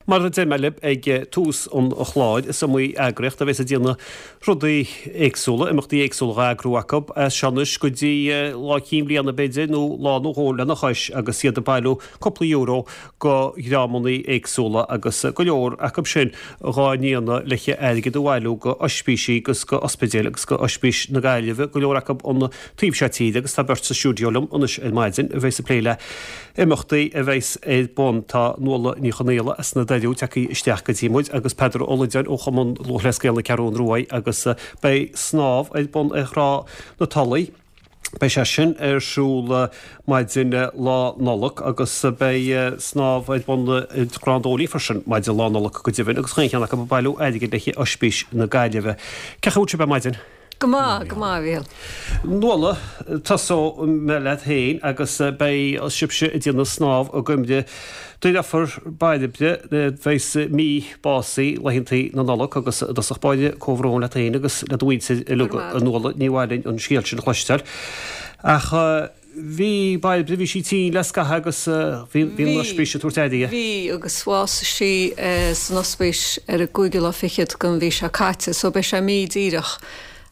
Mar a deir mé libh ag tús an chláir, is iomaí eagraíocht a bheas ag déanamh rudaí éagsúla, imeachtaí éagsúla á eagrú acu, as seo anois go dtí Lá Cinn Bhliana b'fhéidir, nó lá nó dhó lena chois, agus iad ag bailiú cúpla euro go dhreamannaí éagsúla agus go leor acu sin dhá ndéanamh le airgead a bhailiú go oispísí agus go ospidéil agus go Oispís na Gaillimhe, go leor acu an taobh seo tíre agus tá beirt sa stiúideo liom anois ar maidin a bheas ag plé le imeachtaí a bheas ar bun. Tá Nuala Ní Chonaola as na Doirí tagtha isteach go dtí muid agus Peadar Ó Loideáin ó Chumann Lúthchleas Gael na Ceathrún Ruaidh agus beidh snámh ar bun ar Thrá na Tulaí. Beidh sé sin ar siúl maidin Lá Nollag agus beidh snámh ar bun i gCrann Dóilí freisin maidin Lá Nollag go deimhin agus chaon cheann acu ag bailiú airgid le haghaidh Oispís na Gaillimhe. Cén chaoi a bhfuil sibh ar maidin? Go maith, go maith, a Mhíchíl. Nuala, tosóidh mé leat féin agus beidh sibhse ag déanamh snámh i gcuimhne do dheirfiúr Bairbre a bheas mí básaithe laethantaí na Nollag agus i dtosach báire comhbhrón leat féin agus le do mhuintir uilig a Nuala, ní mhaith linn an scéal sin a chloisteáil. Ach bhí Bairbre, bhí sí tinn le scaitheamh agus bhí an oispís ag tabhairt aire di. Bhí agus bhásaigh sí san ospís ar an gcúigiú lá fichead den mhí seo caite so beidh sé mí díreach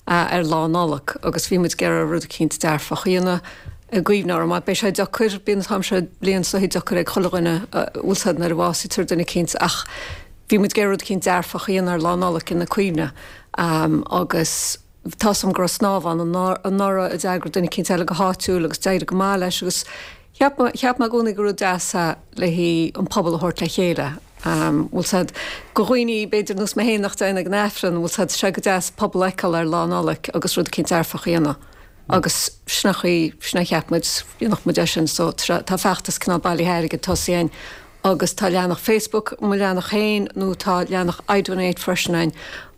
ar Lá Nollag agus bhí muid ag iarraidh rud eicínt dearfach a dhéanamh i gcuimhne uirthi mar beidh sé deacair, bíonn an t-am seo bliain is dóichí deacair ag chuile dhuine bhfuil 's a'd nuair a bhásaítear duine eicínt ach bhí muid ag iarraidh rud eicínt dearfach a dhéanamh ar Lá Nollag ina cuimhne agus tá's a'm go raibh snámh ann anuraidh a d'eagraigh duine eicínt eile go háitiúil agus d'éirigh go maith leis agus cheap mé, cheap mé i gcónaí gur rud deas é le haghaidh an pobal a thabhairt le chéile. Bhfuil 's a'd, go dhaoine b'fhéidir nós mé féin nach dtéann ag an Aifreann, bhfuil 's a'd, tá sé go deas pobal a fheiceáil ar Lá Nollag agus rud eicínt dearfach a dhéanamh. Agus sin an chaoi, sin a cheap muid, dhéanfadh muid é sin so tá feachtas cineál bailithe airgid tosaithe againn agus tá leathanach Facebook, mo leathanach féin nó tá leathanach iDonate freisin againn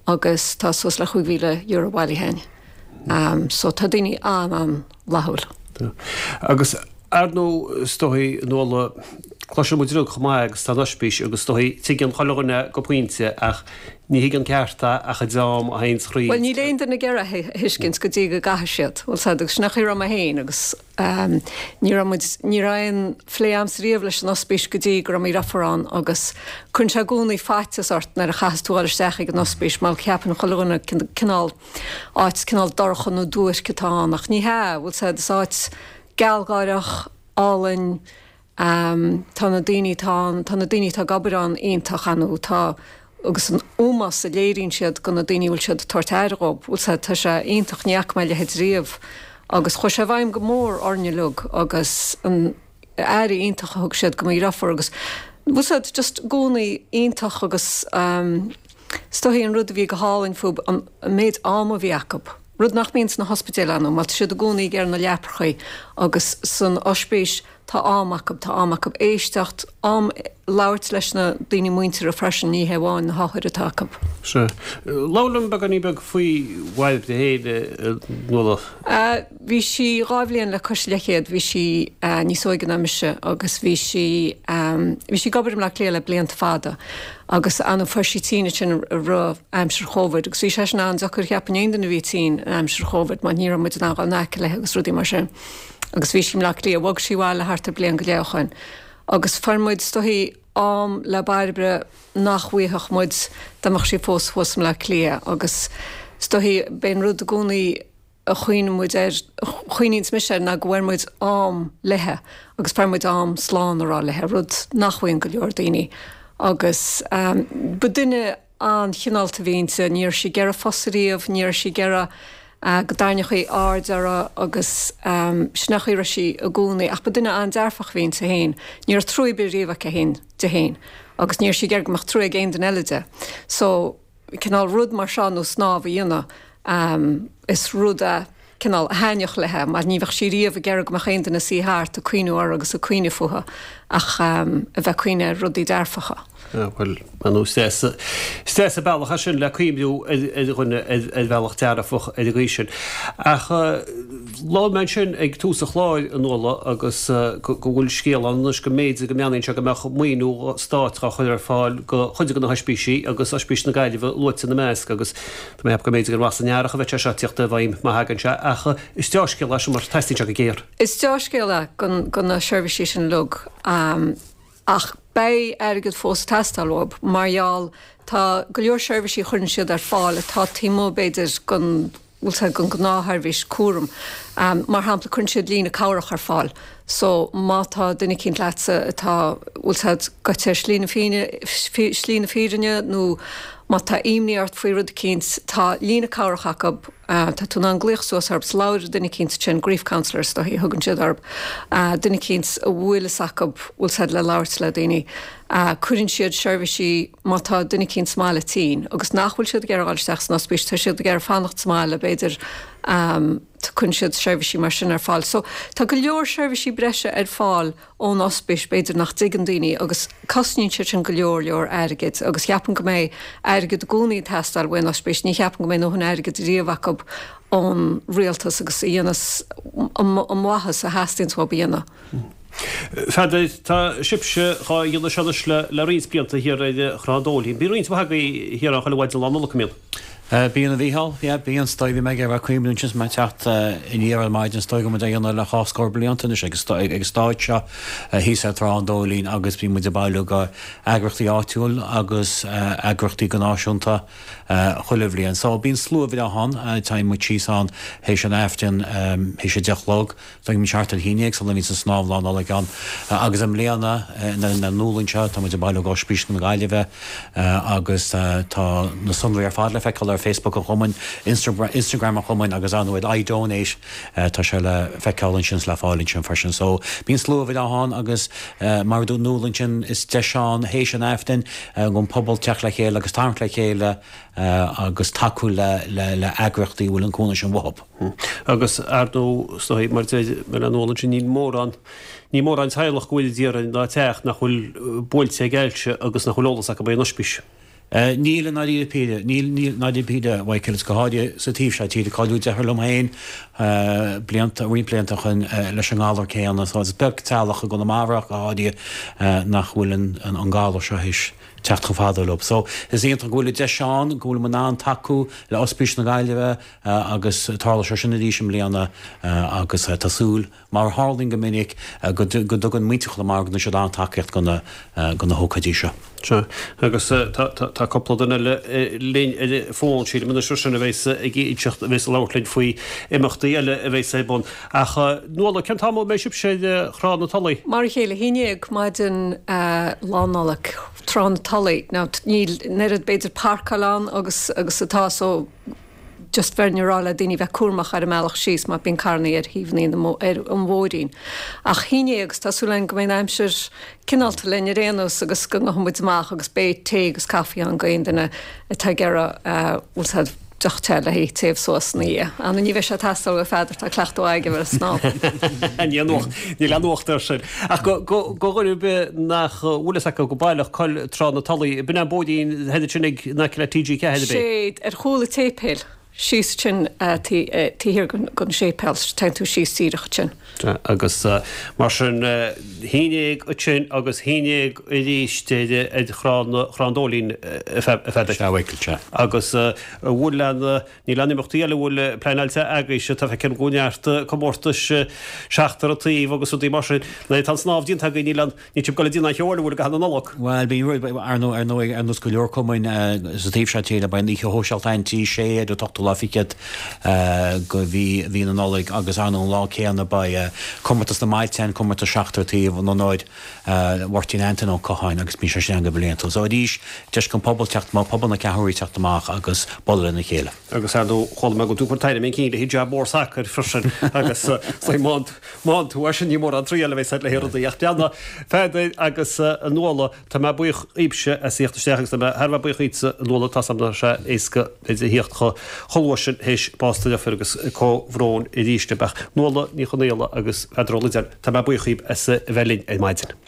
agus tá suas le €5,000 bailithe againn. So tá daoine an-an-fhlaithiúil. Agus ar ndóigh is dóichí Nuala, cloiseann muid uilig chomh maith agus tá an oispís agus is dóichí tuigeann chuile dhuine go pointe ach ní thuigeann ceart é ach an dream a théanns thríd. Bhuel níl aon duine ag iarraidh é a thuiscint go dtí go gcaithfidh siad, bhfuil 's a'd, agus sin an chaoi a raibh mé féin agus ní raibh muid, ní raibh aon phlé a'msa riamh leis an ospís go dtí go raibh mo dheirfiúr ann agus cuireann sé i gcónaí faitíos ort nuair a chaitheas tú dhul isteach ag an ospís mar ceapann chuile dhuine cineál áit cineál dorcha nó duairc atá ann ach ní hea, bhfuil 's a'd, is áit gealgháireach, álainn, tá na daoine atá ann, tá na daoine atá ag obair ann iontach, ar ndóigh, tá, agus an ómós a léiríonn siad go na daoine a bhfuil siad ag tabhairt aire dhób, bhfuil 's a'd, tá sé iontach, ní fhaca mé a leithéid riamh agus chuaigh sé i bhfeidhm go mór orainne uilig agus an aire iontach a thug siad go mo dheirfiúr agus bhfuil 's a'd, just i gcónaí iontach agus is dóichí an rud a bhí go hálainn fúb an méid ama a bhí acu. Rud nach mbíonn sna hospidéil ar ndóigh, mar tá siad i gcónaí ag iarraidh na leaprachaí agus san oispís tá am acu, tá am acu éisteacht, am labhairt leis na daoine muinteartha freisin, ní hé amháin na hothair atá acu. Sea. Labhair liom beagáinín beag faoi Bhairbre féin, a Nuala. Bhí sí dhá bhliain le cois leathchéad, bhí sí níos óige ná mise agus bhí sí, bhí sí ag obair i mBleá Cliath le blianta fada agus ar ndóigh fuair sí tinn ansin i rith aimsir Chóvid agus bhí sé sin an-deacair cheapfainn aon duine a bhí tinn in aimsir Chóvid mar ní raibh muid in ann dhul in aice léi agus rudaí mar sin agus bhí sí i mBleá Cliath, bhog sí abhaile thart ar bliain go leith ó shoin agus fuair muid is dóichí am le Bairbre nach bhfuigheadh muid dá mbeadh sí fós thuas i mBleá Cliath agus is dóichí b'é an rud i gcónaí a chuimhníonn muid air, a chuimhníonns mise air ná go bhfuair muid am léithe agus fuair muid am slán a rá léithe, rud nach bhfaigheann go leor daoine. Agus ba duine an-chineálta a bhí inti, ní raibh sí ag iarraidh fusa riamh, ní raibh sí ag iarraidh go dtarraingeofaí aird uirthi agus sin an chaoi a raibh sí i gcónaí. Ach ba duine an-dearfach a bhí inti féin, ní raibh trua ar bith riamh aici féin di féin agus ní raibh sí ag iarraidh go mbeadh trua ag aon duine eile di. So. cineál rud mar seo nó snámh a dhéanamh, is rud é cineál a thaitneodh léithe mar ní bheadh sí riamh ag iarraidh go mbeadh aon duine ina suí thart ag cuimhniú uirthi agus ag cuimhneamh fúithi ach a bheith ag cuimhneamh ar rudaí dearfacha. Bhuel, ar ndóigh, is deas, is deas an bealach é sin le cuimhniú ar dhuine ar bhealach dearfach ar an gcaoi sin. Ach labhair mé ansin ag tús an chláir, a Nuala, agus go bhfuil scéal ann anois go mb'fhéidir go mbeannaíonn sé go mbeadh maoiniú stáit á chur ar fáil do chuid de na hoispísí agus Oispís na Gaillimhe luaite ina measc agus tá mé ag ceapadh go mb'fhéidir gur amach san earrach a bheidh sé seo ag tíocht i bhfeidhm má thagann sé ach is deá-scéal é sin mar teastaíonn sé go géar. Is deá-scéal é do na seirbhísí sin uilig ach. beidh airgead fós ag teastáil uathu mar gheall tá go leor seirbhísí a chuireann siad ar fáil atá taobh amuigh b'fhéidir den bhfuil 's a'd den ghnáthsheirbhís cúraim. Mar shampla cuireann siad líne cabhrach ar fáil so má tá duine eicínt leatsa atá bhfuil 's a'd gaibhte ar shlí na slí na fírinne nó má tá imní ort faoi rud eicínt tá líne cabhrach acu tá tú in ann glaoch suas orthu is labhair le duine eicínt ansin grief counsellor is dóichí a thugann siad orthu duine eicínt a bhfuil fhios acu bhfuil 's a'd le labhairt le daoine. Cuireann siad seirbhísí má tá duine eicínt sa mbaile tinn agus nach bhfuil siad ag iarraidh dhul isteach san ospís, tá siad ag iarraidh fanacht sa mbaile b'fhéidir, cuireann siad seirbhísí mar sin ar fáil. So tá go leor seirbhísí breise ar fáil ón ospís b'fhéidir nach dtuigeann daoine agus cosnaíonn siad sin go leor leor airgid agus cheapfainn go mbeidh airgead i gcónaí ag teastáil uaidh an ospís, ní cheapaim go mbeidh a ndóthain airgid riamh acu ón rialtas agus a dhéanas an mhaitheas a theastaíonns uathu a dhéanamh. Pheadair, tá sibhse dhá dhéanamh seo anois le roinnt blianta thiar ar Thrá an Dóilín. Bíonn roinnt mhaith agaibh thiar ann chuile mhaidin Lá Nollag, an mbíonn? Bíonn, a Mhícheáil, yeah, bíonn. Is dóigh, bhí mé ag iarraidh cuimhniú ansin is mé ag teacht aniar ar maidin, is dóigh go bhfuil muid á dhéanamh le dhá scór blianta anois ag an stáid seo thíos ar Trá an Dóilín agus bíonn muid ag bailiú go eagraíochtaí áitiúil agus eagraíochtaí go náisiúnta chuile bhliain. So bíonn slua bhreá ann, téann muid síos ann théis an Aifrinn, théis a deich a chlog. Bíonn muid thart ar a haon dhéag sula mbíonns an snámh Lá Nollag ann agus i mbliana na Nuala anseo tá muid ag bailiú go Ospís na Gaillimhe agus tá na sonraí ar fad le feiceáil ar Facebook an Chumainn, Instagram an Chumainn agus ar ndóigh ar iDonate tá sé le feiceáil ansin is le fáil ansin freisin. So bíonn slua bhreá ann agus mar a dúirt Nuala ansin is deis ann théis an Aifrinn don pobal teacht le chéile agus tarraingt le chéile agus tacú le heagraíochtaí a bhfuil an cúnamh sin uathu. Agus, ar ndóigh, is dóigh, mar deir mé le Nuala ansin, níl mórán, níl mórán teaghlach go bhfuil déarfainn ná teach nach bhfuil buailte ag ailse agus nach bhfuil eolas acu ar an ospís. Níl i ndáiríre píre, níl, níl i ndáiríre píre, a Mhichael, is go háirithe sa taobh seo tíre, cailleadh deartháir liom féin blianta, roinnt blianta ó shin leis an ngalar céanna, so is beag teaghlach i gConamara ach go háirithe nach bhfuil an, an galar seo théis teacht chomh fada leo. So is iontach go bhfuil an deis ann, go bhfuil muid in ann tacú le Ospís na Gaillimhe, Agus tarlóidh sé sin arís i mbliana agus tá súil, mar a tharlaíonn go minic, go dtugann muintir Chonamara, go dtugann siad an-tacaíocht do na hócáidí seo. Sea, agus tá cúpla duine eile linn ar an bhfón, sílim anois freisin, a bheas ag inseacht, a bheas ag labhairt linn faoi imeachtaí eile a bheas ar bun. Ach Nuala, cén t-am a mbeidh sibhse ar Thrá na Tulaí? Mar a chéile, a haon dhéag maidin Lá Nollag, Trá na Tulaí. Now, níl an oiread b'fhéidir parcáil ann agus agus atá so, just bheinn ag rá le daoine bheith cúramach ar an mbealach síos mar bíonn carrannaí ar thaobhannaí na ar an bhóithrín. Ach haon dhéag agus tá súil againn go mbeidh an aimsir cineálta linn ar aon nós agus go ngabhfaidh muid amach agus beidh tae agus caife ann go aon duine atá ag iarraidh bhfuil 's a'd deoch te le haghaidh téamh suas ina dhiaidh. Ar ndóigh ní bheidh sé ag teastáil ó Pheadar, tá cleachtadh aige ar an snámh. Níl aon nuacht, níl aon nuacht air sin. Ach go, go, go dhuine ar bith nach bhfuil fhios acu go baileach cá bhfuil Trá na Tulaí, b'in an bóithrín thoir sin ag in aice le TG4 ab é? Sé, ar chúl an tséipéil, síos ansin taobh thiar den séipéal, téann tú síos díreach ansin. Agus mar sin, haon dhéag ansin agus haon dhéag arís ar Thrá an Dóilín, a Pheadair. Sea, a Mhichíl, sea. Agus an bhfuil aon, níl aon imeachtaí eile a bhfuil pleanáilte agaibhse, tá feicim go bhfuil neart comórtais seachtar an taobh agus rudaí mar sin. Nuair atá an snámh déanta agaibh, níl aon, Níl sibh ag dul ag déanamh aon cheo eile an bhfuil i gcaitheamh na Nollag? Bhuel, bíonn, ar ndóigh, ar ndóigh, ar nós go leor cumainn sa taobh seo tíre, beidh an oíche shóisialta ann Tí Sé ar an t-ochtú lá fichead de mhí, mhí na Nollag agus ar ndóigh an lá céanna beidh comórtas na mbailte ann, comórtas seachtar taobh in onóir Mháirtín Antaine Ó Catháin agus bíonn sé sin ann go bliantúil. So arís, deis don pobal teacht amach, pobal na Ceathrún Rua teacht amach agus bualadh lena chéile. Agus ar ndóigh, chuala mé go bhfuil tú ag cur tairm chun cinn le haghaidh jab mór sacair freisin agus má Má tú air sin ní mórán triail a bheas agat le rudaí ach breathnaigh, Pheadair agus a Nuala, tá mé buíoch dhaoibhse as theacht isteach agus tá mé thar a bheith buíoch dhaoitse a Nuala, tá's agam nach raibh sé éasca b'fhéidir a theacht chomh luath sin théis bás do dheirfiúr agus comhbhrón arís libh ach Nuala Ní Chonaola agus Peadar Ó Loideáin, tá mé buíoch dhaoibh as a bheith linn ar maidin.